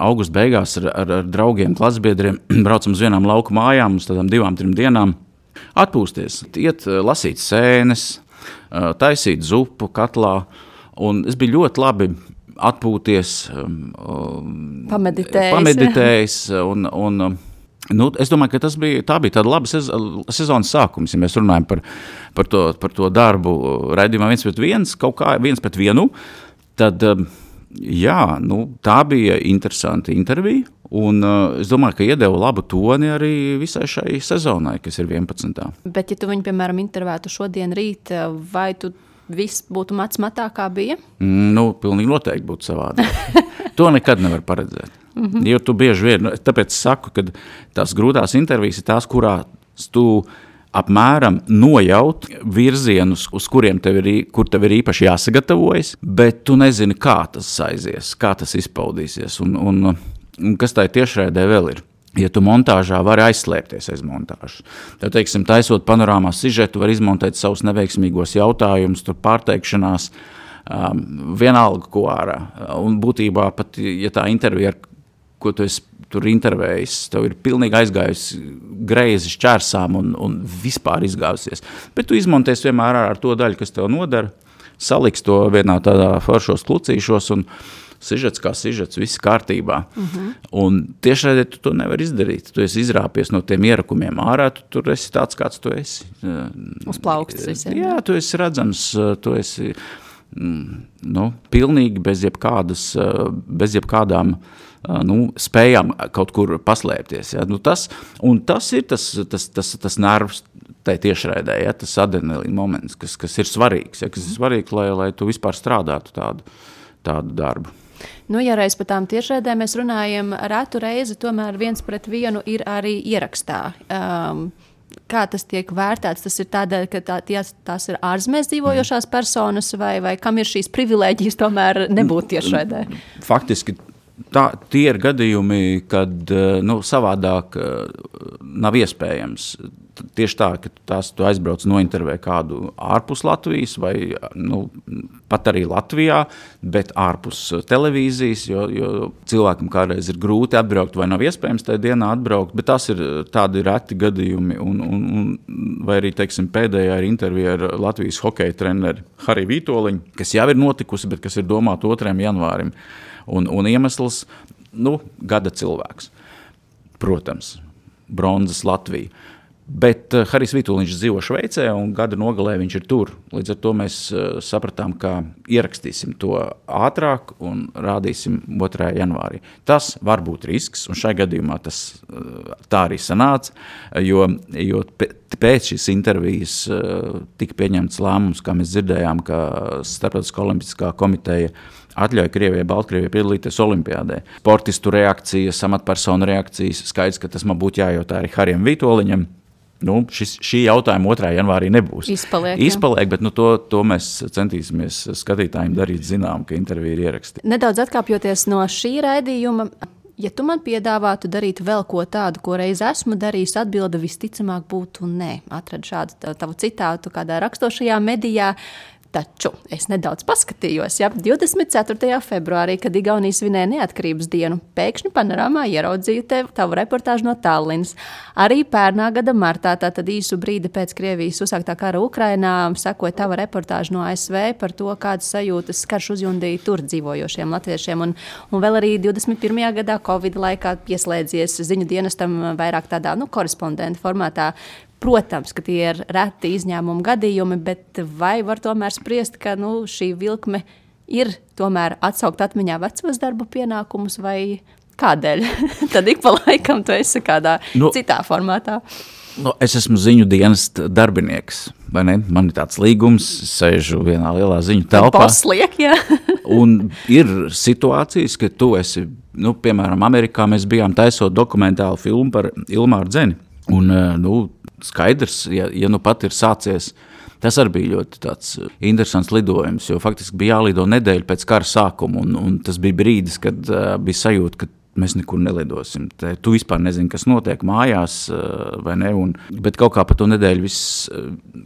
augusta beigās ar draugiem, klasbiedriem braucam uz vienām lauku mājām, uz tādām 2-3 dienām atpūsties, iet lasīt sēnes, taisīt zupu katlā, un es biju ļoti labi atpūties, pameditējis un es domāju, ka tā bija tāda laba sezonas sākums, ja mēs runājam par to darbu raidījumā 1-1, kaut kā 1-1, tad, tā bija interesanta intervija, un es domāju, ka iedeva labu toni arī visai šai sezonai, kas ir 11. Bet, ja tu viņu, piemēram, intervētu šodien rīt, vai tu viss būtu matā, kā bija? Pilnīgi noteikti būtu savādāk. To nekad nevar paredzēt. Jo tu bieži vien, tāpēc saku, ka tās grūtās intervijas ir tās, kurās tu apmēram nojaut virzienus, uz kur tev ir īpaši jāsagatavojas, bet tu nezini, kā tas aizies, kā tas izpaudīsies un kas tai tiešraidē vēl ir. Ja tu montāžā vari aizslēpties aiz montāžas. Tad, teiksim, taisot panorāmā sižetu, var izmontēt savus neveiksmīgos jautājumus, tur pārteikšanās, vienalga ko ārā. Un būtībā pat, ja tā intervija, ko tu esi tur intervējis, tev ir pilnīgi aizgājusi greizi šķērsām un vispār izgājusies. Bet tu izmontēsi vienmēr ar to daļu, kas tev nodara, saliks to vienā tādā foršos klucīšos un sižets kā sižets, viss kārtībā. Un tiešraidē tu to nevar izdarīt. Tu esi izrāpies no tiem ierakumiem ārā, tu tur esi tāds, kāds tu esi. Uz plauksts visiem. Jā, tu esi redzams, tu esi pilnīgi bez jebkādām spējām kaut kur paslēpties. Ja? Tas ir tas nervs tai tiešraidē, ja? Tas adrenalīna moments, kas ir svarīgs, ja? Kas ir svarīgs, lai tu vispār strādātu tādu darbu. Ja reiz par tām tiešraidēm mēs runājam, retu reizi tomēr 1-1 ir arī ierakstā. Kā tas tiek vērtēts? Tas ir tādēļ, ka tās ir ārzemēs dzīvojošās personas vai kam ir šīs privilēģijas tomēr nebūt tiešraidē? Faktiski tie ir gadījumi, kad savādāk nav iespējams. Tieši tā, ka tu aizbrauc nointervē kādu ārpus Latvijas vai pat arī Latvijā, bet ārpus televīzijas, jo cilvēkam kādreiz ir grūti atbraukt vai nav iespējams tajā dienā atbraukt, bet tas ir tādi reti gadījumi. Vai arī, teiksim, pēdējā ir intervija ar Latvijas hokeja treneri Hariju Vītoliņu, kas jau ir notikusi, bet kas ir domāta 2. janvārim. Un iemesls, gada cilvēks. Protams, bronzas Latvija. Bet Harijs Vītoliņš dzīvo Šveicē un gada nogalē viņš ir tur. Līdz ar to mēs sapratām, ka ierakstīsim to ātrāk un rādīsim 2. janvārī. Tas var būt risks, un šai gadījumā tas tā arī sanāca, jo pēc šīs intervijas tika pieņemts lēmums, kā mēs dzirdējām, ka Starptautiskā olimpiskā komiteja atļauj Krievijai, Baltkrievijai piedalīties olimpiādē. Sportistu reakcijas, amatpersonu reakcijas, skaidrs, ka tas man būtu jājautā arī Harijam Vītoliņam. Šī jautājuma 2. janvārī nebūs. Izpaliek, bet to mēs centīsimies skatītājiem darīt zinām, ka intervija ir ierakstīta. Nedaudz atkāpjoties no šī raidījuma, ja tu man piedāvātu darīt vēl ko tādu, ko reiz esmu darījis, atbilde visticamāk būtu nē. Atradu šādu tavu citātu kādā rakstošajā medijā. Taču es nedaudz paskatījos, 24. februārī, kad Igaunija svinēja neatkarības dienu, pēkšņi panorāmā ieraudzīju tavu reportāžu no Tallinas. Arī pērnā gada martā, tātad īsu brīdi pēc Krievijas uzsāktā kara Ukrainā, sekoja tava reportāža no ASV par to, kādas sajūtas karš uzjundīja tur dzīvojošiem latviešiem. Un vēl arī 21. gadā Covid laikā pieslēdzies ziņu dienestam vairāk tādā korespondenta formātā. Protams, ka tie ir reti izņēmumu gadījumi, bet vai var tomēr spriest, ka šī vilkme ir tomēr atsaukt atmiņā vecos darbu pienākumus vai kādēļ? Tad ik pa laikam tu esi kādā citā formātā. Es esmu ziņu dienesta darbinieks, vai ne? Man ir tāds līgums, sēžu vienā lielā ziņu telpā. Posliek, jā. Un ir situācijas, ka tu esi, piemēram, Amerikā mēs bijām taisot dokumentālu filmu par Ilmāru Dzeni. Un, skaidrs, ja pat ir sācies, tas arī bija ļoti tāds interesants lidojums, jo faktiski bija jālido nedēļu pēc kara sākuma, un tas bija brīdis, kad bija sajūta, ka mēs nekur nelidosim. Tu vispār nezini, kas notiek mājās, vai ne, bet kaut kā pa to nedēļu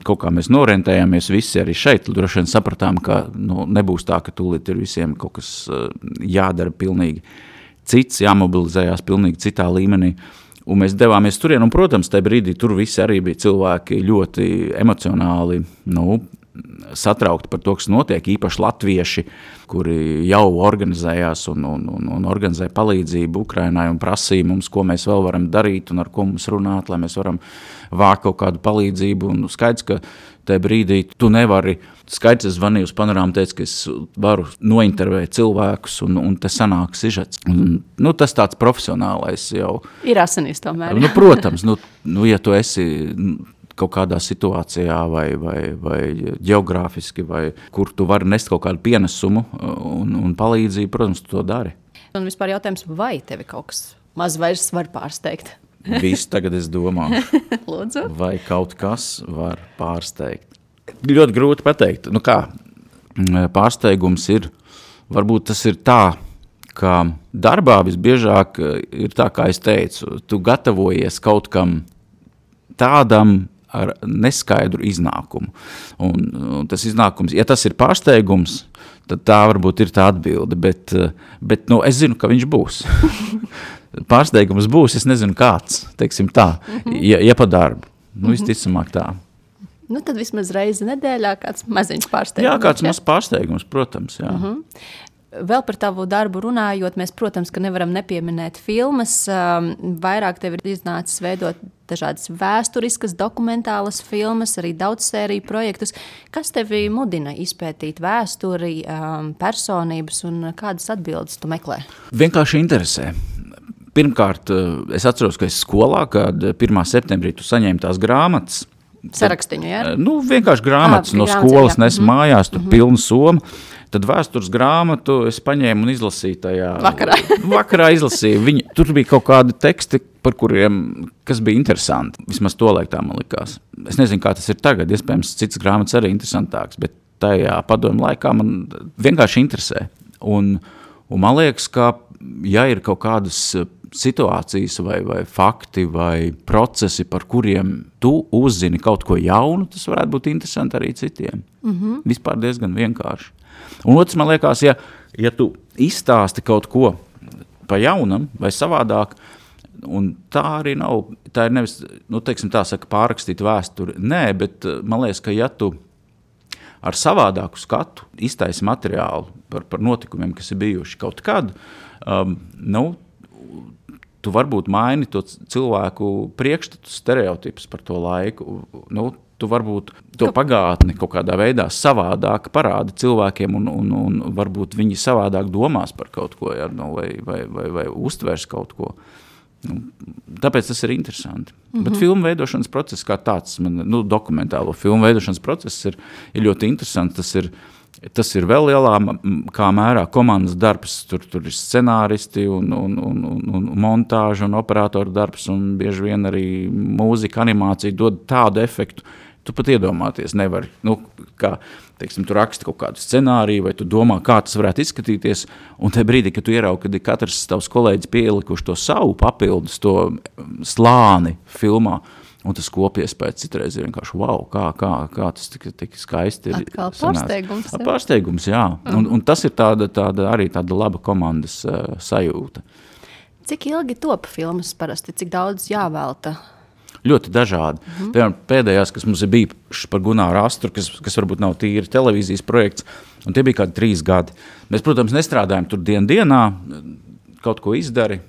kaut kā mēs norentējāmies visi arī šeit, droši vien sapratām, ka nebūs tā, ka tūlīt ir visiem kaut kas jādara pilnīgi cits, jāmobilizējās pilnīgi citā līmenī. Un mēs devāmies turien, un, protams, tajā brīdī tur visi arī bija cilvēki ļoti emocionāli, satraukti par to, kas notiek, īpaši latvieši, kuri jau organizējās un organizēja palīdzību Ukrainai un prasīja mums, ko mēs vēl varam darīt un ar ko mums runāt, lai mēs varam vākt kaut kādu palīdzību. Un skaidrs, ka tajā brīdī tu nevari, skaidrs, es zvanīju uz panorāmu, teicu, ka es varu nointervēt cilvēkus un te sanāk sižets. Tas tāds profesionālais jau. Ir asinīs tomēr. Protams, ja tu esi kaut kādā situācijā vai ģeogrāfiski, vai kur tu vari nest kaut kādu pienesumu un palīdzību, protams, tu to dari. Un vispār jautājums, vai tevi kaut kas maz vairs var pārsteigt? Viss tagad es domāju. Lūdzu. Vai kaut kas var pārsteigt? Ļoti grūti pateikt. Kā? Pārsteigums ir, varbūt tas ir tā, ka darbā visbiežāk ir tā, kā es teicu, tu gatavojies kaut kam tādam ar neskaidru iznākumu. Un tas iznākums, ja tas ir pārsteigums, tad tā varbūt ir tā atbilde, bet es zinu, ka viņš būs. Pārsteigums būs, es nezinu kāds, teiksim tā, ja pa darbu. Visticamāk tā. Tad vismaz reizi nedēļā kāds maziņš pārsteigums. Jā, kāds mazs pārsteigums, protams, jā. Vēl par tavu darbu runājot, mēs, protams, ka nevaram nepieminēt filmas. Vairāk tev ir iznācis veidot dažādas vēsturiskas, dokumentālas filmas, arī daudzsēriju projektus. Kas tevi mudina izpētīt vēsturi, personības un kādas atbildes tu meklē? Vienkārši interesē. Pirmkārt, es atceros, ka es skolā, kad 1. septembrī tu saņēmi tās grāmatas. Sarakstiņu, jā? Vienkārši grāmatas no skolas nes mājās, tu pilnu somu. Tad vēstures grāmatu es paņēmu un izlasīju tajā. Vakarā izlasīju. Tur bija kaut kādi teksti, par kuriem, kas bija interesanti. Vismaz tolaik tā man likās. Es nezinu, kā tas ir tagad. Iespējams, citas grāmatas arī interesantāks, bet tajā padomu laikā man vienkārši interesē. Un man liekas, ka ja ir kaut kādas situācijas vai fakti vai procesi, par kuriem tu uzzini kaut ko jaunu, tas varētu būt interesanti arī citiem. Vispār diezgan vienkārši. Un otrs, man liekas, ja tu izstāsti kaut ko pa jaunam vai savādāk, un tā arī nav, tā ir nevis, teiksim tā saka, pārrakstīt vēsturi. Nē, bet man liekas, ka ja tu ar savādāku skatu iztaisi materiālu par notikumiem, kas ir bijuši kaut kad, tu varbūt maini to cilvēku priekšstatu stereotipus par to laiku. Tu varbūt to pagātni kaut kādā veidā savādāk parādi cilvēkiem un varbūt viņi savādāk domās par kaut ko, vai uztvers kaut ko. Tāpēc tas ir interesanti. Bet filmu veidošanas process kā tāds, dokumentālo filmu veidošanas process ir ļoti interesants. Tas ir vēl lielā kā mērā komandas darbs. Tur ir scenāristi un montāža un operatoru darbs un bieži vien arī mūzika, animācija dod tādu efektu. Tu pat iedomāties nevari, kā, teiksim, tu raksti kaut kādu scenāriju vai tu domā, kā tas varētu izskatīties, un tajā brīdī, kad tu ieraugi, kad katrs tavs kolēģis pielikuši to savu papildus, to slāni filmā, Un tas kopiespējas citreiz ir vienkārši, wow, kā tas tik skaisti ir. Atkal pārsteigums. Pārsteigums, jā. Un tas ir arī tāda laba komandas sajūta. Cik ilgi top filmas parasti? Cik daudz jāvelta? Ļoti dažādi. Piemēram, pēdējās, kas mums ir bijušas par Gunāru Astru, kas varbūt nav tīri televīzijas projekts, un tie bija kādi 3 gadi. Mēs, protams, nestrādājam tur dienā, kaut ko izdari,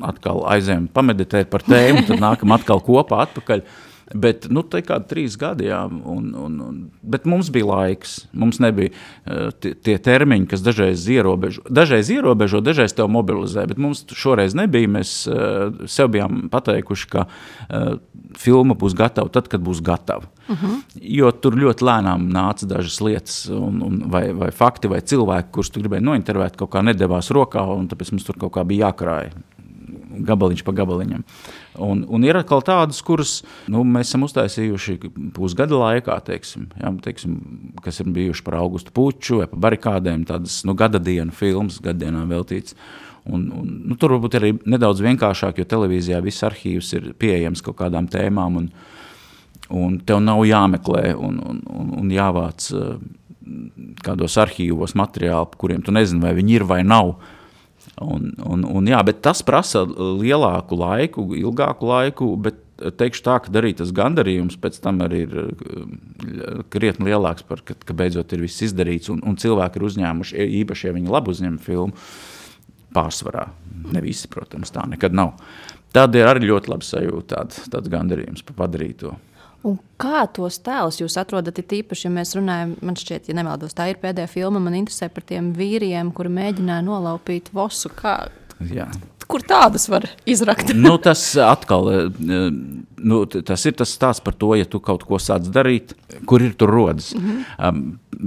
atkal aizējam pameditēt par tēmu, tad nākam atkal kopā atpakaļ. Bet, te kādi 3 gadi, jā, bet mums bija laiks, mums nebija tie termiņi, kas dažreiz ierobežo, dažreiz tev mobilizē, bet mums šoreiz nebija, mēs sev bijām pateikuši, ka filma būs gatava tad, kad būs gatava. Jo tur ļoti lēnām nāca dažas lietas, vai fakti, vai cilvēki, kurus tu gribēji nointervēt, kaut kā nedevās rokā, un tāpēc mums tur kaut kā bija jākrāja. Gabaliņš pa gabaliņam. Un ir atkal tādas, kuras mēs esam uztaisījuši pusgada laikā, teiksim, kas ir bijuši par Augustu Puču vai par barikādēm, tādas gada dienu filmas, gaddienām veltīts. Un tur varbūt arī nedaudz vienkāršāk, jo televīzijā viss arhīvs ir pieejams kaut kādām tēmām, un tev nav jāmeklē un jāvāc kādos arhīvos materiāli, kuriem tu nezini, vai viņi ir vai nav. Jā, bet tas prasa lielāku laiku, ilgāku laiku, bet teikšu tā, ka arī tas gandarījums pēc tam arī ir krietni lielāks, ka beidzot ir viss izdarīts, un cilvēki ir uzņēmuši, īpaši, ja viņi labi uzņem filmu, pārsvarā. Ne visi, protams, tā nekad nav. Tad ir arī ļoti labi sajūta tāds gandarījums par padarīto. Un kā tos tēlus jūs atrodat, tīpaši, ja mēs runājam, man šķiet, ja nemaldos, tā ir pēdējā filma, man interesē par tiem vīriem, kuri mēģināja nolaupīt vosu. Jā. Kur tādas var izrakt? Tas atkal, tas ir tas stāsts par to, ja tu kaut ko sāc darīt, kur ir tur rodas.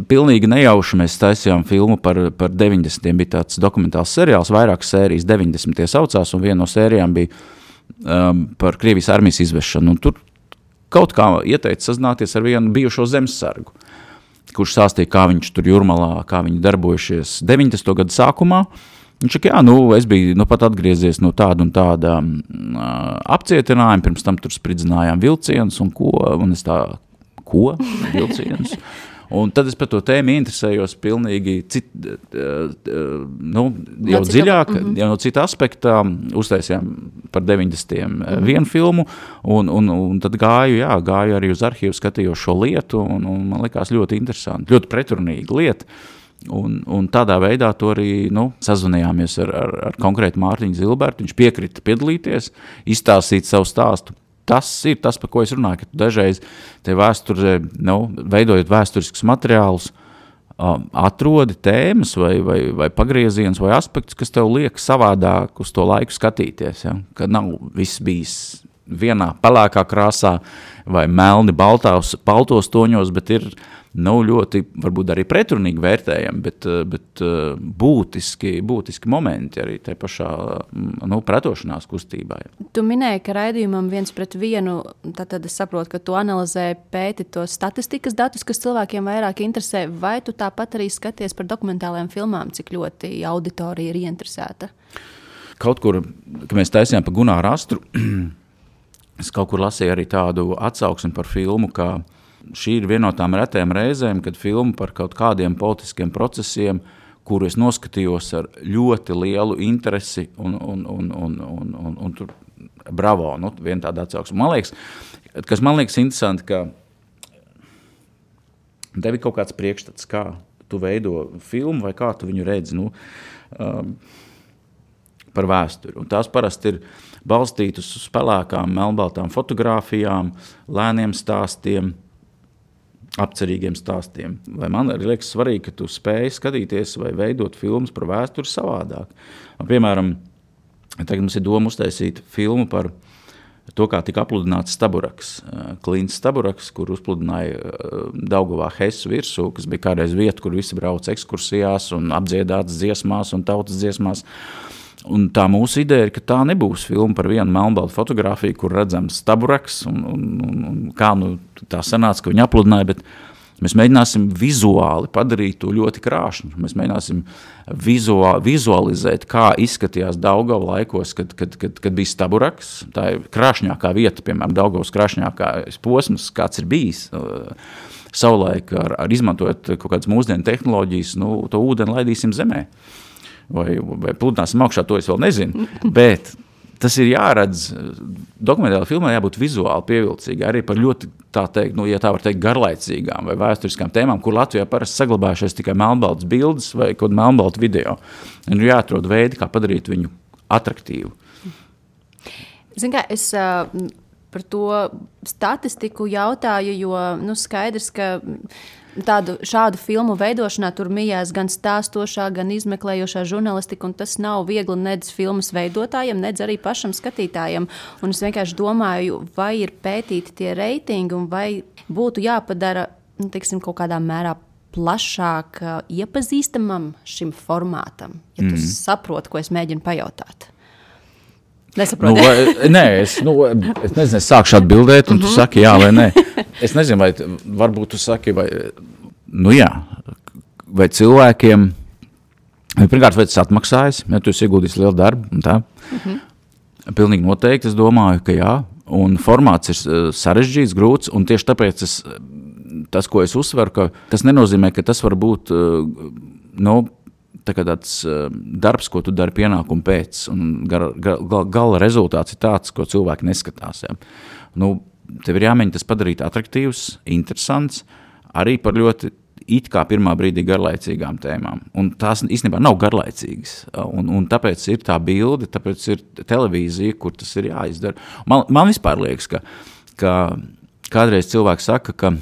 Pilnīgi nejauši mēs taisījām filmu par 90. Bija tāds dokumentāls seriāls, vairākas sērijas 90. saucās, un viena no sērijām bija par Krievijas armijas izvešanu. Un tur kaut kā ieteica sazināties ar vienu bijušo zemesargu, kurš stāstīja, kā viņš tur Jūrmalā, kā viņi darbojušies 90. gadu sākumā. Viņš saka, es biju pat atgriezies no tāda un tāda apcietinājuma, pirms tam tur spridzinājām vilcienus un es tā, vilcienus? Un tad es par to tēmu interesējos pilnīgi jau dziļāk, jau no cita aspekta, uztaisījām par 90. Vienu filmu, un tad gāju arī uz arhīvu, skatījos šo lietu, un man likās ļoti interesanti, ļoti pretrunīga lieta. Un tādā veidā to arī sazvanījāmies ar konkrētu Mārtiņu Zilbertu, viņš piekrita piedalīties, izstāstīt savu stāstu. Tas ir tas, par ko es runāju, ka tu dažreiz te vēsturē, veidojot vēsturiskus materiālus, atrodi tēmas vai pagriezienus vai aspektus, kas tev liek savādāk uz to laiku skatīties. Ja? Ka nav viss bijis vienā pelēkā krāsā vai melni baltos toņos, bet ir ļoti, varbūt arī pretrunīgi vērtējami, bet būtiski momenti arī te pašā pretošanās kustībā. Tu minēji, ka raidījumam 1:1, tad es saprotu, ka tu analizē pēti tos statistikas datus, kas cilvēkiem vairāk interesē, vai tu tāpat arī skaties par dokumentālajām filmām, cik ļoti auditorija ir ieinteresēta? Kaut kur, kad mēs taisījām par Gunāru Astru, es kaut kur lasīju arī tādu atsauksmi par filmu, ka šī ir viena no tām retējām reizēm, kad filma par kaut kādiem politiskiem procesiem, kuru es noskatījos ar ļoti lielu interesi un tur bravo, viena tāda atsauksme. Man liekas interesanti, ka tev ir kaut kāds priekšstats, kā tu veido filmu vai kā tu viņu redzi par vēsturi. Un tās parasti ir balstītas uz pelēkām, melnbaltām fotogrāfijām, lēniem stāstiem, apcerīgiem stāstiem. Vai man arī liekas svarīgi, ka tu spēj skatīties vai veidot filmas par vēsturi savādāk. Piemēram, tagad mums ir doma uztaisīt filmu par to, kā tika apludināts Staburaks. Klints Staburaks, kur uzpludināja Daugavā Hesu virsū, kas bija kādreiz vieta, kur visi brauc ekskursijās un apdziedāts dziesmās un tautas dziesmās. Un tā mūsu ideja ir, ka tā nebūs filma par vienu melnbaltu fotogrāfiju, kur redzams Staburaks un kā tā sanāca, ka viņi apludināja, bet Mēs mēģināsim vizuāli padarīt to ļoti krāšņu. Mēs mēģināsim vizualizēt, kā izskatījās Daugava laikos, kad bija Staburaks. Tā ir krāšņākā vieta, piemēram, Daugavas krāšņākās posms, kāds ir bijis. Savulaik ar izmantojot kaut kādas mūsdienu tehnoloģijas, to ūdeni laidīsim zemē. Vai pludināsim augšā, to es vēl nezinu. Bet tas ir jāredz, dokumentāla filmā jābūt vizuāli pievilcīgi, arī par ļoti, tā teikt, ja tā var teikt, garlaicīgām vai vēsturiskām tēmām, kur Latvijā parasti saglabājušies tikai melnbaltas bildes vai kaut melnbalta video. Un jāatrod veidi, kā padarīt viņu atraktīvu. Zin kā, es par to statistiku jautāju, jo skaidrs, ka šādu filmu veidošanā tur mijās gan stāstošā, gan izmeklējošā žurnalistika, un tas nav viegli nedz filmas veidotājiem, nedz arī pašam skatītājiem. Un es vienkārši domāju, vai ir pētīti tie reitingi, un vai būtu jāpadara, teiksim, kaut kādā mērā plašāk iepazīstamam šim formātam, ja tu saproti, ko es mēģinu pajautāt. Nesaproti. Es nezinu, es sākšu atbildēt, un tu saki jā vai nē. Es nezinu, vai varbūt tu saki, vai cilvēkiem, pirmkārt, vai tas atmaksājas, ja tu esi ieguldījis lielu darbu, un tā. Pilnīgi noteikti, es domāju, ka jā, un formāts ir sarežģīts, grūts, un tieši tāpēc tas, ko es uzsveru, ka tas nenozīmē, ka tas var būt, tāds darbs, ko tu dari pienākumu pēc, un gala rezultāts ir tāds, ko cilvēki neskatās. Ja. Tev ir jāmēģina tas padarīt atraktīvs, interesants, arī par ļoti it kā pirmā brīdī garlaicīgām tēmām. Un tās īstenībā nav garlaicīgas. Un tāpēc ir tā bilde, tāpēc ir televīzija, kur tas ir jāizdara. Man vispār liekas, ka kādreiz cilvēks saka, ka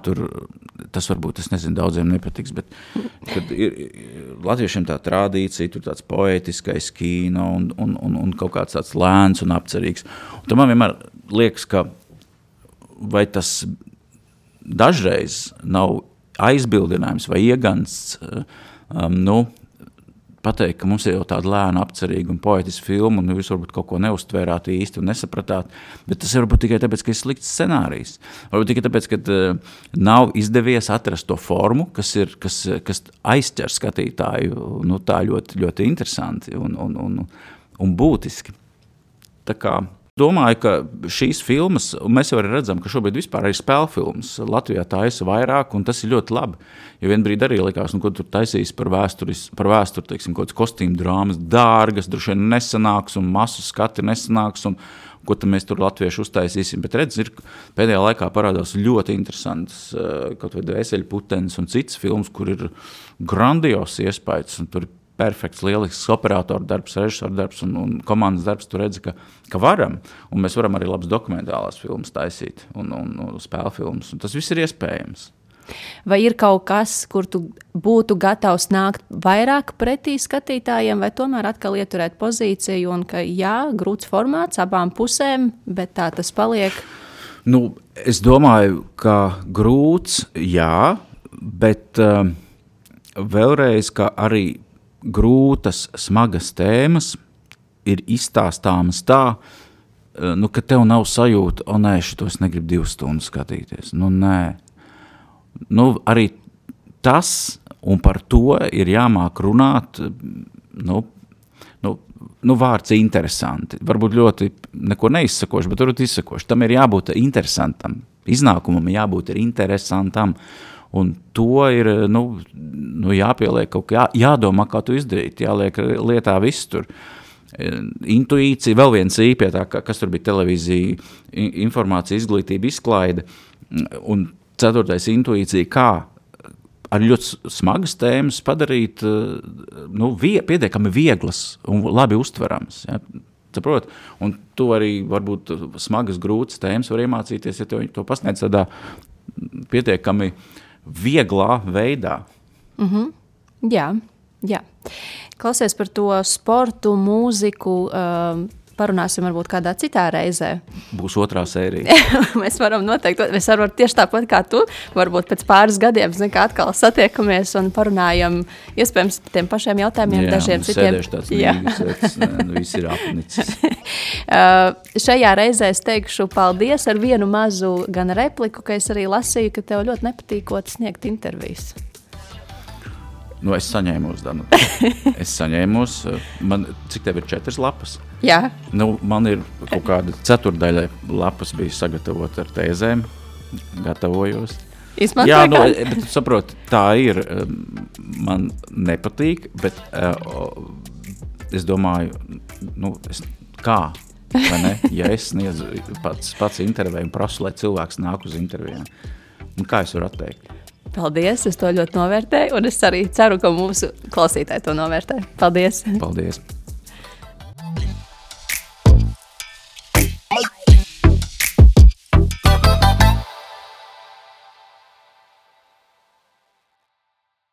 tur tas varbūt, es nezinu, daudziem nepatiks, bet kad ir latviešiem tā tradīcija, tur tāds poētiskais kino un kaut kāds tāds lēns un apcerīgs. Un tad man vienmēr liekas, ka vai tas dažreiz nav aizbildinājums vai iegansts, pateikt, ka mums ir jau tāda lēna, apcerīga un poetiska filma, un jūs varbūt kaut ko neuztvērāt īsti un nesapratāt, bet tas varbūt tikai tāpēc, ka ir slikts scenārijs. Varbūt tikai tāpēc, ka nav izdevies atrast to formu, kas aizķer skatītāju tā ļoti, ļoti interesanti un būtiski. Tā kā domāju, ka šīs filmas, un mēs jau arī redzam, ka šobrīd vispār arī spēļu filmas Latvijā taisa vairāk, un tas ir ļoti labi. Jo vienbrīd arī likās, ko tur taisīs par vēsturi, teiksim, kaut kāds kostīmu drāmas, dārgas, droši vien nesanāks, un masu skati nesanāks, un ko tad mēs tur latvieši uztaisīsim. Bet redz, pēdējā laikā parādās ļoti interesants kaut vai Dvēseļputenis un cits filmas, kur ir grandios iespējas, un tur ir perfekts, lielisks operatoru darbs, režisoru darbs un komandas darbs. Tu redzi, ka varam, un mēs varam arī labas dokumentālās filmas taisīt un spēļu filmas, un tas viss ir iespējams. Vai ir kaut kas, kur tu būtu gatavs nākt vairāk pretī skatītājiem, vai tomēr atkal ieturēt pozīciju, un ka jā, grūts formāts abām pusēm, bet tā tas paliek? Es domāju, ka grūts, jā, bet vēlreiz, ka arī grūtas, smagas tēmas ir izstāstāmas tā, ka tev nav sajūta, nē, šitos negribu 2 stundas skatīties. Nē. Arī tas, un par to ir jāmāk runāt, vārds interesanti. Varbūt ļoti neko neizsakoši, bet varbūt izsakoši. Tam ir jābūt interesantam. Iznākumam jābūt interesantam. Un to ir jāpieliek kaut kā, jādomā, kā tu izdarīt, jāliek lietā viss tur. Intuīcija, vēl viens pie tā, kas tur bija televīzija, informācija, izglītība, izklaide. Un 4. intuīcija, kā ar ļoti smagas tēmas padarīt pietiekami vieglas un labi uztverams. Ja? Saprot? Un tu arī varbūt smagas, grūtas tēmas var iemācīties, ja to pasniedz tādā pietiekami vieglā veidā. Jā. Klausies par to sportu, mūziku, parunāsim varbūt kādā citā reizē. Būs otrā sērija. Mēs varam noteikti, mēs varam tieši tāpat kā tu, varbūt pēc pāris gadiem, kā atkal satiekamies un parunājam, iespējams, par tiem pašiem jautājumiem, dažiem citiem. Sēdēšu tāds mīgas, viss ir apnicis. Šajā reizē es teikšu paldies ar vienu mazu gan repliku, ka es arī lasīju, ka tev ļoti nepatīkot sniegt intervijas. Nu, es saņēmos, Danu. Cik tev ir 4 lapas? Jā. Nu, man ir kaut kāda 4 lapas bija sagatavot ar tēzēm, gatavojos. Izmantoju Jā, bet saproti, tā ir, man nepatīk, bet es domāju, kā, vai ne? Ja es sniedzu pats interviju un prasu, lai cilvēks nāk uz intervijām, kā es varu atteikt? Paldies, es to ļoti novērtēju, un es arī ceru, ka mūsu klausītāji to novērtē. Paldies! Paldies!